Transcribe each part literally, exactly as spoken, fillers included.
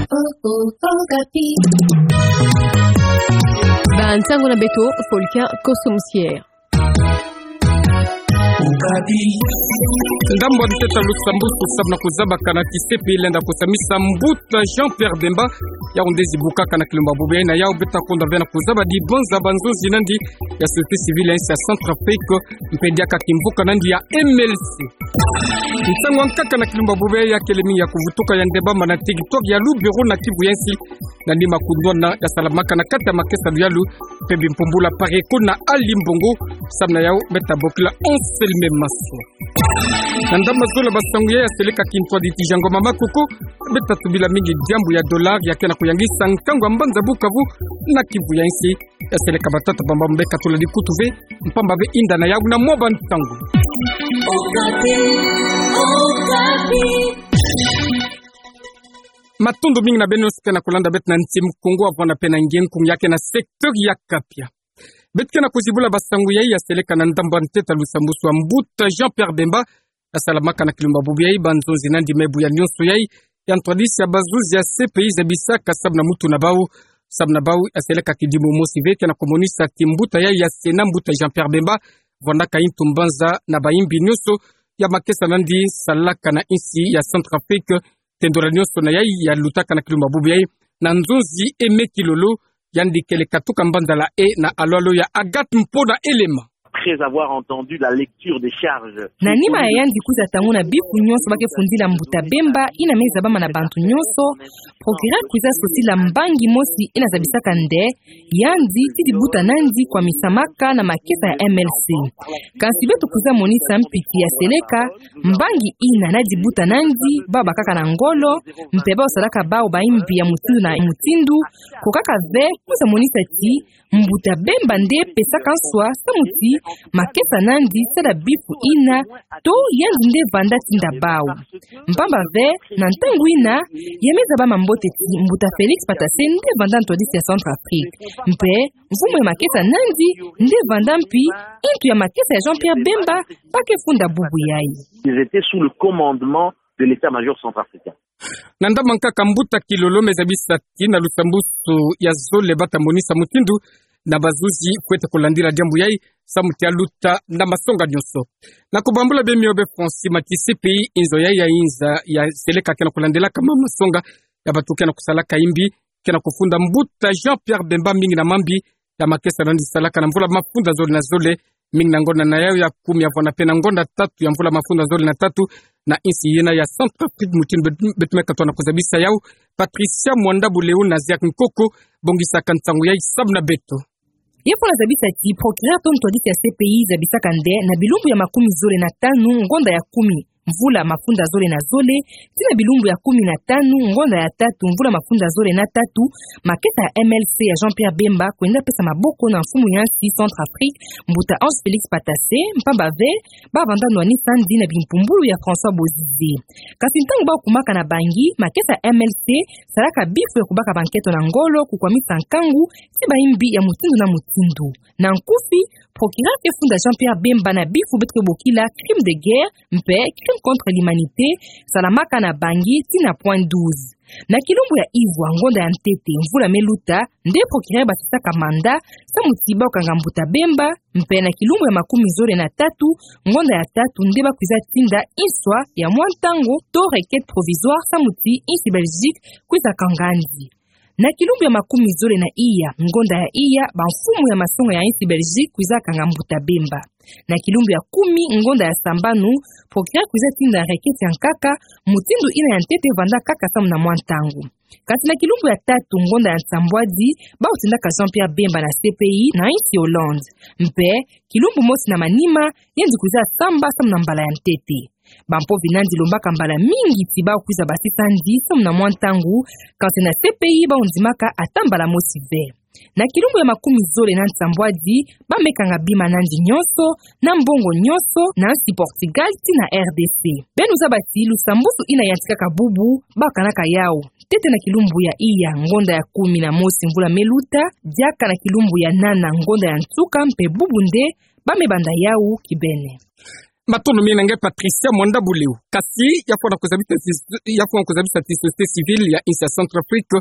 Okapi. Ba ntangu na beto, Folkin Kosomusier. Ndambu ya ntete ya Lusambwasu samu na kuzabakana ti C P I lenda kusamisa mbuta Jean-Pierre Bemba, yau nde zibukaka na kilumbu bubu yayi. Na yau beto kunda ve na kuzaba dibanza ba nzonzi nandi ya société civile ya insi ya Centrafrique, mpe diaka kimvuka nandi ya M L C. Nsangu ya nkaka na kilumbu bubu yayi ya kele mingi ya kuvutuka, yandi bambana TikTok ya lu bureau na Kivu ya insi, nandi makundwana ya salamaka na kati ya makesa luyalu, mpe bimpumbulu ya Pareko na Ali Mbongo, samu na yau beto bokila enseignement maso. Na ndambu ya zole ba nsangu yayi ya seleka kintwadi ti Jean Ngoma Makoko, beto tubila mingi diambu ya dollar ya ke na kuyangisa nkangu ya mbanza Bukavu na Kivu ya insi. Ya seleka batata bamba mbe katula dikutu ve, mpamba ve inda na yau na mwa ba ntangu. Okapi, Okapi. Matondo mingi na beno nyonso ke na kulanda beto na nti Mukongo, avwanda mpe na nge nkunga ya ke na secteur ya Kapia. Beto ke na kuzibula ba nsangu yayi ya seleka na ndambu ya ntete ya Lusambwasu ya mbuta Jean-Pierre Bemba, ya salamaka na kilumbu bubu yayi. Ba nzonzi nandi me buya nyonso yayi, ya ntwadisi ya bazuzi ya C P I zabisaka samu na mutu na bau, samu na bau ya seleka kidimu mosi ve ke na kumonisa ti mbuta yayi ya Sénat, mbuta Jean-Pierre Bemba, vwandaka yintu mbanza na bayimbi nyonso ya makesa nandi salaka na insi ya Centrafrique, tendora nyonso na yayi ya lutaka na kilumbu bubu yayi. Na nzonzi Aimé Kilolo, yandi kele katuka mbanza la e na alo-alo ya Agathe Mpona Elema. Après avoir entendu la lecture des charges. Na nima ya yandi kwiza tanguna bifu nyonso ba ke fundila mbuta Bemba, ina me zabama na bantu nyonso, procureur kwiza sosila mbangi mosi ina zabisaka nde yandi ti dibuta nandi kwamisamaka na makesa ya M L C. Kansi beto kwiza monisa mpiti ya seleka, mbangi ina na dibuta nandi, bau bakaka na ngolo, mpe bau salaka bau bayimbi ya mutindu na mutindu, ko kaka ve kwiza monisa ti mbuta Bemba nde pesaka nswa samu ti makesa nandi sala bifu ina, to yandi nde vanda tinda bau. Mpamba ve, na ntangu ina, ya me zabama mbote ti mbuta Félix Patassé nde vanda ntwadisi ya Centrafrique. Mpe mfumu ya makesa nandi nde vanda mpi intu ya makesa ya Jean-Pierre Bemba ba ke funda bubu yayi. Ils étaient sous le commandement de l'état-major centrafricain. Na ndambu ya nkaka, mbuta Kilolo me zabisa ti na Lusambwasu ya zole bata monisa mutindu na bazuzi fwete kulandila diambu yayi, samu ti ya luta na masonga nyonso. Na kubambula be mio be Francis, mati C P I, inzo yayi ya inza ya seleka ke na kulandilaka ma masonga ya bantu ke na kusalaka yimbi, ke na kufunda mbuta Jean-Pierre Bemba mingi na mambi ya makesa nandi salaka na mvula mafunda zole na zole, mingi na ngonda na yau ya kumi, avwanda mpe na ngonda tatu ya mvula mafunda zole na tatu, na insi yina ya Centrafrique, mutindu beto, beto me katoa na kuzabisa yau Patricia Mwanda Buleu na Ziak Nkoko, bongisaka nsangu yayi samu na beto. Ye mpo na zabisa ti procureur to ntwadisi ya C P I zabisaka nde na bilumbu ya makumi zole na tanu ngonda ya kumi mvula mafunda zole na zole, tii na bilumbu ya kumi na tanu ngonda ya tatu mvula mafunda zole na tatu, makesa ya M L C ya Jean-Pierre Bemba kwenda pesa maboko na mfumu ya insi Centrafrique, mbuta Ange Félix Patassé, mpamba ve ba vanda nwanisa nandi na bimpumbulu ya François Bozizé. Kansi ntangu bau kumaka na bangi, makesa ya M L C salaka bifu ya kubaka banketo na ngolo, kukwamisa nkangu ti bayimbi ya mutindu na mutindu. Na nkufi, procureur ke funda Jean-Pierre Bemba na bifu beto ke bokila crime de guerre, mpe crime contre l'humanité, salamaka na bangi tii na point douze. Na kilumbu ya ivwa ngonda ya ntete mvula me luta, nde procureur basisaka mandat samu ti bau kanga mbuta Bemba, mpe na kilumbu ya makumi zole na tatu ngonda ya tatu nde bakwiza tinda inswa ya mwa ntangu to requête provisoire samu ti insi Belgique kwiza kanga nandi. Na kilumbu ya makumi zole na iya ngonda ya iya, bamfumu ya masonga ya insi Belgique kwiza kanga mbuta Bemba. Na kilumbu ya kumi ngonda ya sambanu, procureur kwiza tinda requête ya nkaka, mutindu ina ya ntete vanda kaka samu na mwa ntangu. Kansi na kilumbu ya tatu ngonda ya nsambwadi, bau tindaka Jean-Pierre Bemba na C P I na insi Hollande. Mpe kilumbu mosi na manima, yandi kwiza samba samu na mbala ya ntete. Bampovi nandi lombaka mbala mingi ti bau kwiza basisa nandi samu na mwa ntangu, kansi na C P I bau ndimaka ata mbala mosi ve. Na kilumbu ya makumi zole na nsambwadi, ba me kanga bima nandi nyonso, na mbongo nyonso, na insi Portugal tii na R D C. Beno zaba ti Lusambwasu ina yantikaka bubu, bau kanaka yau ntete na kilumbu ya iya ngonda ya kumi na mosi mvula me luta, diaka na kilumbu ya nana ngonda ya nsuka, mpe bubu nde ba me banda yau kibene. Matondo mingi na nge Patricia Mwanda Buleu. Kasi, ya fwana kuzabisa ti-, ya fwana kuzabisa ti société civile ya insi ya Centrafrique,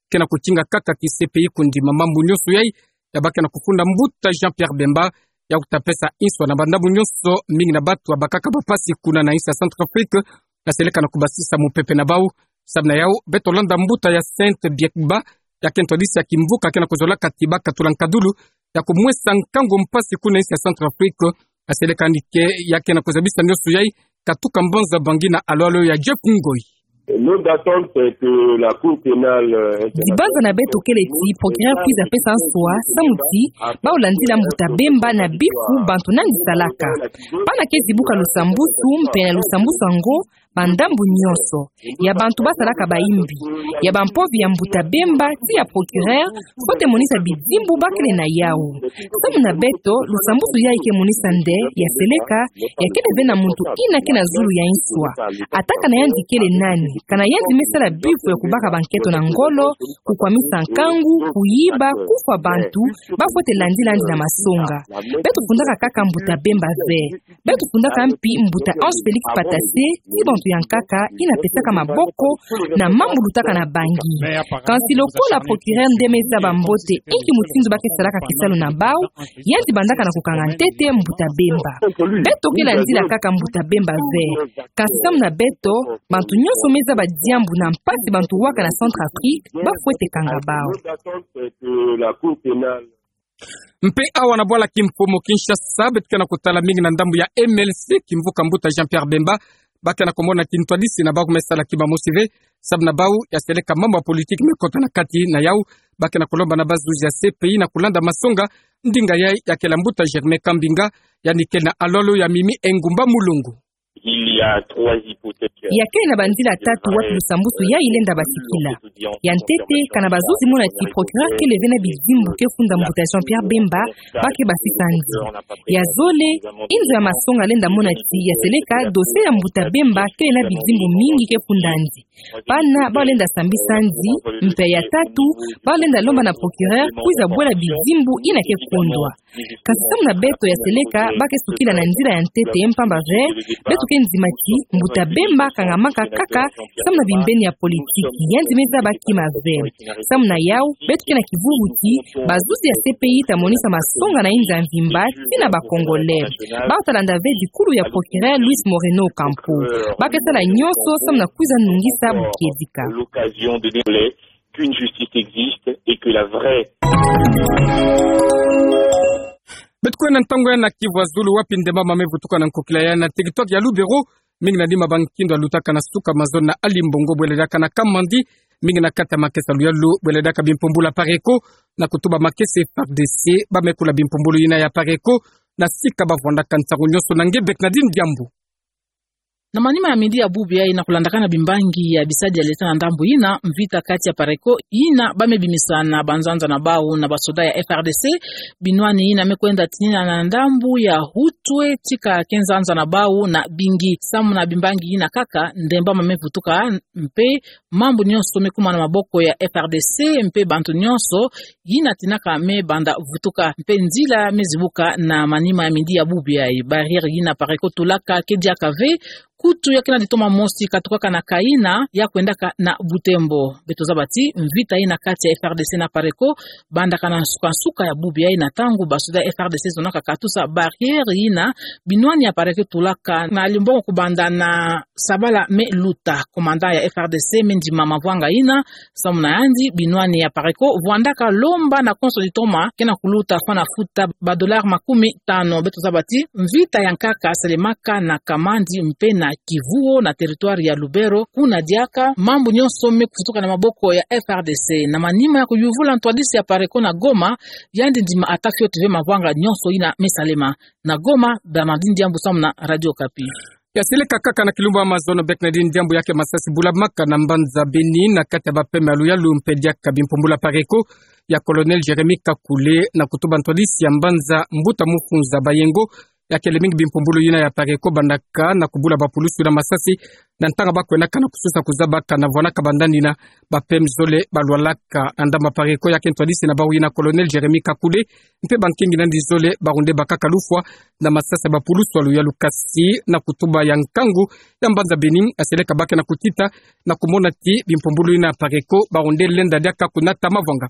ke na kutinga kaka ti C P I kundima mambu nyonso yai, ya ba ke na kufunda mbuta Jean-Pierre Bemba, ya kuta pesa inswa na bandambu nyonso, mingi na batu ya bakaka ba mpasi kuna na insi ya Centrafrique, ya seleka na kubasisa mupepe na bau. Samu na yau, beto landa mbuta ya Sainte Biekba, ya ke ntwadisi ya kimvuka ke na kuzolaka ti bakatula nkadulu ya kumwesa nkangu mpasi kuna insi ya Centrafrique, ya seleka ni ke, ya ke na kuzabisa nyonso yai, katuka mbanza bangi na alo-alo ya Jeff Ngoi. Notre attente, c'est que la Cour pénale, euh, internationale... Dibanza na beto kele ti procureur kwiza pesa nswa, samu ti, bau landila mbuta Bemba na bifu bantu nandi salaka. Bana ke zibuka lusambusu, mpe na lusambusu yango, bandambu nyonso. Ya bantu basalaka bayimbi. Ya bampovi ya mbuta Bemba, ti ya procureur, faut te monisa bidimbu ba kele na yau. Samu na beto, lusambusu yai ke monisa nde, ya seleka, ya kele ve na muntu ina ke na zulu ya inswa. Ata kana yandi kele nani, kana yandi me sala bifu ya kubaka banketo na ngolo, kukwamisa nkangu, kuyiba, kufwa bantu, ba faut te landila yandi na masonga. Beto fundaka kaka mbuta Bemba ve. Beto fundaka mpi mbuta Ange Félix Patasse, ti bantu ya nkaka, ina pesaka maboko na mambu lutaka na bangi. Kasi lokola procureur nde me zaba mbote inki mutindu ba ke salaka kisalu na bau, yandi bandaka na kukanga ntete mbuta Bemba. Beto ke landila kaka mbuta Bemba ve. Kasi samu na beto, bantu nyonso me zaba diambu na mpasi bantu waka na Centrafrique, ba faut te kanga bau. Mpe awa na bwala kimfumu Kinshasa, beto ke na kutala mingi na ndambu ya M L C, kimvuka mbuta Jean-Pierre Bemba, ba ke na kumona ti ntwadisi na bau me sala kima mosi ve, samu na bau, ya seleka mambu ya politique me kota na kati na yau, ba ke na kulomba na bazuzi ya C P I na kulanda masonga, ndinga yai ya kele mbuta Germain Kambinga, yandi ke na alo-alo ya Mimi Engumba Mulongo. Il y a trois hypothèses. Ya kele na banzila tatu wapi lusambusu yai lenda basikila. Ya ntete, kana bazuzi mona ti procureur kele ve na bidimbu ke funda mbuta Jean-Pierre Bemba, ba ke basisa yandi. Ya zole, inzo ya masonga lenda mona ti ya seleka, dossier ya mbuta Bemba kele na bidimbu mingi ke funda yandi. Bana, bau lenda sambisa yandi, mpe ya tatu, bau lenda lomba na procureur, kwiza bwela bidimbu ina ke kondwa. Kasi samu na beto ya seleka, ba ke sukila na nzila ya ntete, mpamba ve, beto ke ndima ti, mbuta Bemba kangamaka kaka, samu na bimbeni ya politique, yandi me zaba kima ve. Samu na yau, beto ke na kivuvu ti, bazuzi ya C P I ta monisa masonga na inza mvimba, ti na ba Congolais. Bau ta landa ve dikulu ya procureur Luis Moreno Ocampo. Ba ke sala nyonso, samu na kwiza nungisa bukedika. L'occasion de démontrer qu'une justice existe et que la vraie... Beto kwenda ntangu ya na Kivu ya Zulu wapi ndemba mama me vutuka na nkokila ya na territoire ya Lubero, mingi na nima ba nkindo ya lutaka na suka mazono na Alimbongo bwele diaka na Kamandi, mingi na kati ya makesa ya luyalu bwele diaka bimpumbulu ya PARECO, na kutuba makesa F R D C, ba me kula bimpumbulu yina ya PARECO, na sika ba vwandaka ntangu nyonso na nge Bernardine Diambu. Na manima ya midi ya bubu yai na kulandakana bimbangi ya bisadi ya leta na ndambu yina, mvita kati ya PARECO yina ba me bimisa na banzanza na bau na basoda ya F R D C, binwani yina me kwenda tinina na ndambu ya Hutwe tika ke nzanza na bau na Bingi. Samu na bimbangi yina kaka, ndemba mama me vutuka, mpe mambu nyonso me kuma na maboko ya F R D C, mpe bantu nyonso yina tinaka me banda vutuka, mpe nzila me zibuka na manima ya midi ya bubu yai. Barrière yina PARECO tulaka ke diaka ve, kutu ya ke na ditoma mosi katukaka na Kaina, ya kwendaka na Butembo. Beto zaba ti, mvita yina kati ya F R D C na PARECO bandaka na nsuka-nsuka ya bubu yai na ntangu basoda ya F R D C zonaka katusa barrière yina, binwani ya PARECO tulaka na Alimbongo kubanda na sabala me luta. Commandant ya F R D C me ndima mavwanga yina, samu na yandi, binwani ya PARECO vwandaka lomba na konso ditoma ke na kuluta fwana futa ba dollars makumi tano. Beto zaba ti, mvita ya nkaka salemaka na Kamandi mpe na Kivuo na territoire ya Lubero, kuna diaka mambu nyonso me kuvutuka na maboko ya F R D C. Na manima ya kuyuvula ntwadisi ya PARECO na Goma, yandi ndima ata fioti ve mavwanga nyonso yina me salema. Na Goma, Bernardine Diambu samu na Radio Okapi. Ya seleka kaka na kilumbu ya mazono, Bernardine Diambu, ya ke masasi bulamaka na mbanza Beni na kati ya bapeme ya luyalu mpe diaka bimpumbulu ya PARECO, ya Colonel Jérémie Kakule, na kutuba ntwadisi ya mbanza Mbuta Mufunza Bayengo, ya kele mingi bimpumbulu yina ya Apareco bandaka na kubula bapulusu na masasi, na ntanga ba kwenaka na kususa kuzaba kana vwanaka bandandina, ba P M zole balwalaka. Na ndamba Apareco ya kento hadisi na bawu yina Colonel Jérémie Kakule, mpe bankingi nandi zole barunde bakaka lufwa na masasi ya bapulusu ya luyalu, kasi na kutuba ya nkangu ya mbanza Bénin, aseleka ba ke na kutita na kumona ti bimpumbulu yina Apareco barunde lenda diaka kunata mavwanga.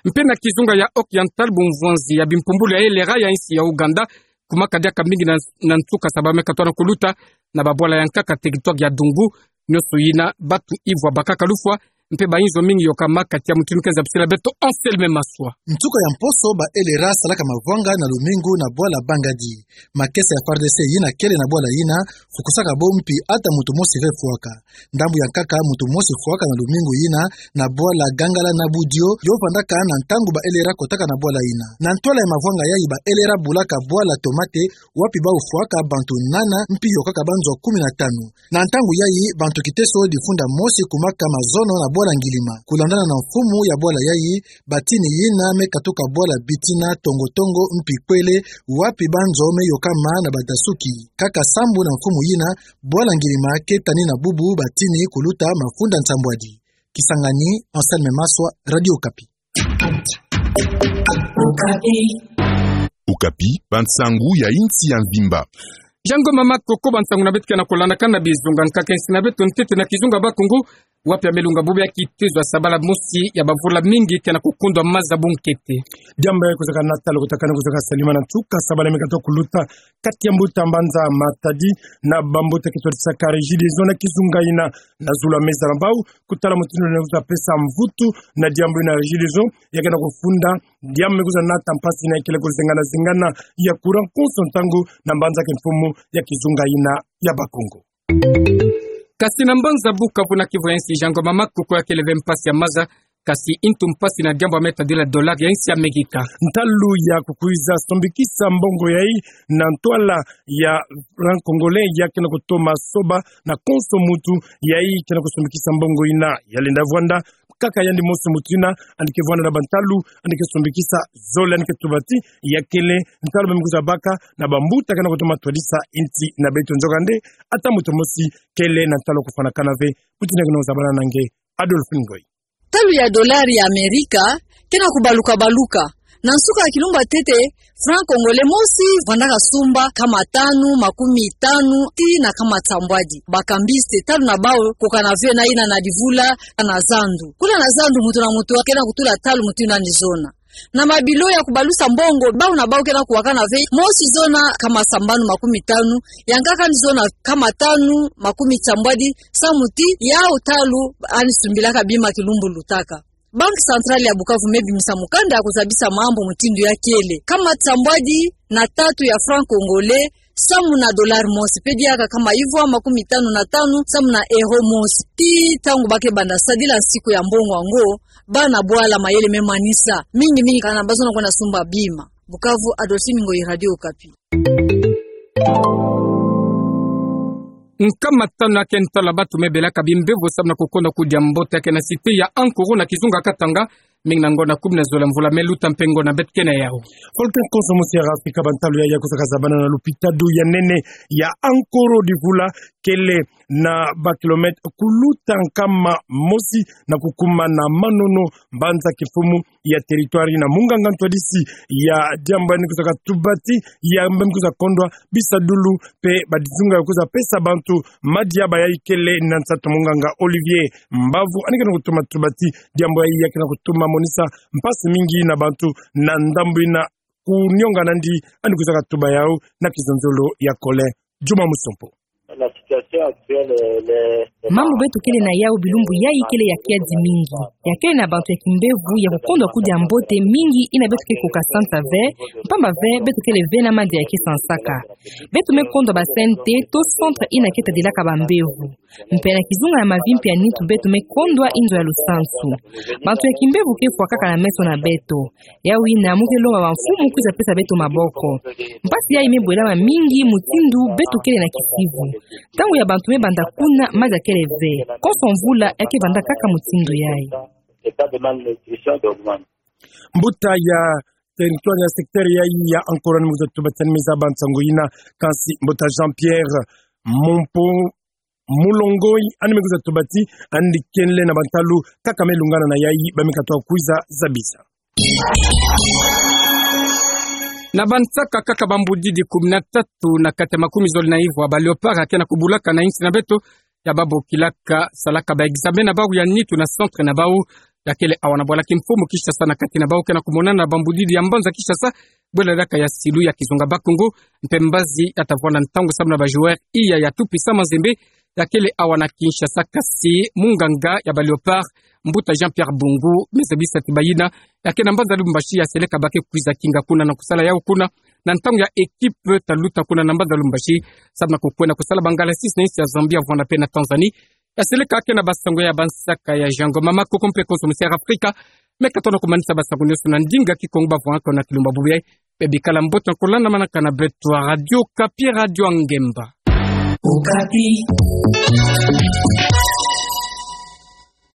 Mpe na kizunga ya Occidental, bumvwanzi ya bimpumbulu ya LRA ya insi ya Ouganda kumaka diaka mingi na, na nsuka sabala me katoa na kuluta na babwala ya nkaka territoire ya Dungu, nionso yina batu ivwa bakaka lufwa, mpe bayinzo mingi yokamaka. Tia mutindu ke nzabisila beto Anselme Maswa. Nsuka ya mposo ba LRA salaka mavwanga na lumingu na bwala Bangadi. Makesa ya FARDC yina kele na bwala yina fukusaka bo mpi ata muntu mosi ve fwaka. Ndambu ya nkaka muntu mosi fwaka na lumingu yina na bwala Gangala na Budio, yo vandaka na ntangu ba LRA kotaka na bwala yina. Na ntwala ya mavwanga yayi ba LRA bulaka bwala Tomate, wapi bawu fwaka bantu nana mpi yokaka banzwa kumi na tanu. Na ntangu yayi, bantu kiteso difunda mosi kumaka mazono na bwala Ngilima. Kulandana na mfumu ya bwala yayi, batini yina me katuka bwala Bitina, Tongo Tongo mpi Kwele, wapi banzo me yokama na badasuki. Kaka sambu na mfumu yina, bwala Ngilima ke tani na bubu batini kuluta mafunda nsambwadi. Kisangani, Anselme Maswa, Radio Okapi. Okapi, bansangu ya insi ya mvimba. Jango mama koko, bansangu na beto ke na kulandakana bizunga nkaka insi na beto ntete na kizunga Bakongo, wapi ya melunga bubu ya kitezo ya sabala mosi ya bavula mingi ke na kukundwa maza bunkete. Diambu ya kuzaka na talo kutakana kuzaka salima na nsuka sabala me katoa kuluta kati ya mbuta mbanza Matadi na bambuta ke twadisaka Regideso na kizunga yina na zulu ya meza na bawu kutala mutindu na kuza pesa mvutu na diambu yina Regideso ya ke na kufunda diambu me kuza nata mpasi na ikele kuzengana zengana ya courant konso ntangu na mbanza ke mfumu ya kizunga yina ya Bakongo. Kasi na mbanza Bukavu na Kivu ya insi, jango mama koko, ya kele ve mpasi ya maza, kasi ntu mpasi na diambu ya me tadila dollar ya insi ya Amerika. Ntalu ya kukwiza sombikisa mbongo yayi na ntwala ya franc congolais ya ke na kutoma soba na konso muntu yayi ke na kusombikisa mbongo yina. Ya lenda vwanda kaka yandi mosi muntu yina yandi ke vwanda na bantalu, yandi ke sombikisa zole, yandi ke tuba ti ya kele ntalu ba me kuza baka na bambuta ke na kutoma twadisa insi na beto. Nzokande, ata muntu mosi kele na ntalu kufwanakana ve. Mutindu ke na kuzabana na nge, Adolphe Ngoy. Talu ya dollar ya Amerika ke na kubaluka baluka. Na nsuka ya kilumbu ya ntete, franc congolais mosi vandaka sumba kama tanu, makumi tanu, tii na kama nsambwadi. Bakambiste, talu na bawu kukana ve na yina na divula na zandu. Kuna na zandu, muntu na muntu ke na kutula talu mutindu yandi zona. Na mabilo ya kubalusa mbongo, bawu na bawu ke na kuwakana ve, mosi zona kama sambanu, makumi tanu, ya nkaka yandi zona kama tanu, makumi nsambwadi, samu ti yawu talu yandi sumbilaka bima kilumbu lutaka. Banque Centrale ya Bukavu me bimisa mukanda ya kuzabisa mambu mutindu ya kele. Kama nsambwadi na tatu ya franc congolais samu na dollar mosi, pe diaka kama ivwa makumi tanu na tanu samu na euro mosi. Tii ntangu ba ke banda sadila nsiku ya mbongo yango, bana bwala mayele me manisa mingi mingi, kana ba zona kwenda sumba bima. Bukavu, Adolphe Ngoy, Radio Okapi. Nkama tanu ya ke ntalu ya bantu me belaka bimbevo samu na kukonda kudia mbote ya ke na cité ya Ankoro na kizunga Katanga, mingi na ngonda kumi na zole ya mvula me luta mpe ngonda beto ke na yawu. Volcan konso mosi ya Afrika, bantalu yayi ya kuzaka zabana na lupitalu ya nene ya Ankoro, divula kele na ba kilomètre kuluta nkama mosi na kukuma na Manono, mbanza kimfumu ya territoire na munganga ntwadisi ya diambu yandi kuzaka tuba ti ya mbe me kuza kondwa bisadulu pe badizunga ya kuza pesa bantu madia. Bayayi kele na nsatu munganga Olivier Mbavu, yandi ke na kutuma tuba ti diambu yayi ya ke na kutuma monisa mpasi mingi na bantu na ndambu yina. Kunionga nandi yandi kuzaka tuba yawu na kizonzolo ya Kole Juma Musompo. La situation actuelle, elle est, elle est Mambu beto kele na yawu bilumbu yayi kele ya kiadi mingi. Ya kele na bantu ya kimbevo ya kukondwa kudia mbote mingi yina beto ke koka sansa ve, mpamba ve beto kele ve na madia ya ke sansaka. Beto me kondwa ba C N T to centre yina ke tadilaka bambevo. Mpe na kizunga ya Mavimpi ya nitu beto me kondwa inzo ya lusansu. Bantu ya kimbevo ke fwakaka na meso na beto. Yawu yina mu ke longa bamfumu kwiza pesa beto maboko. Mpasi yayi me bwelama mingi mutindu beto kele na kisivu. Ntangu ya bantu me banda kuna, madia kele ve. Konso mvula ya ke banda kaka mutindu yayi. Mbuta ya territoire ya secteur yayi ya Ankoro, ani me kwiza tubati, ani me zaba nsangu yina. Kansi mbuta Jean-Pierre Mumpo Mulongoi, ani me kwiza tubati, ani kenle na bantalu kaka me lungana na yayi ba me katuka kwiza zabisa. Na bansaka kaka bambudidi kumi na tatu na kati ya makumi zole na ivwa ba Léopards ya ke na kubulaka na insi na beto, ya ba bokilaka salaka ba examen na bau ya nitu na centre na bau, ya kele awa na bwala kimfumu Kinshasa, na kati na bau ke na kumonana na bambudidi ya mbanza Kinshasa, bwela diaka ya silu ya kizunga Bas-Congo, mpe mbazi ya ta vwanda ntangu samu na ba joueurs iya ya Tout Puissant Mazembe, ya kele awa na Kinshasa. Kansi munganga ya ba Léopards, mbuta Jean-Pierre Bungu, me zabisa ti bayina ya ke na mbanza Lubumbashi, ya seleka ba ke kwiza kinga kuna na kusala yau kuna, na ntangu ya équipe ta luta kuna na mbanza Lubumbashi, samu na kukwenda kusala ba ngalasisi na insi ya Zambie, Rwanda mpe na Tanzanie. Ya seleka ke na basango ya bansaka ya Jean Ngoma Makoko mpe konso Mister Afrika, me katono kumanisa basango nyonso na ndinga Kikongo bavwandaka na Kilumba. Bubu yayi, bikala mbote, nkola na manaka na beto ya Radio Okapi, Radio ya Ngemba. Okapi.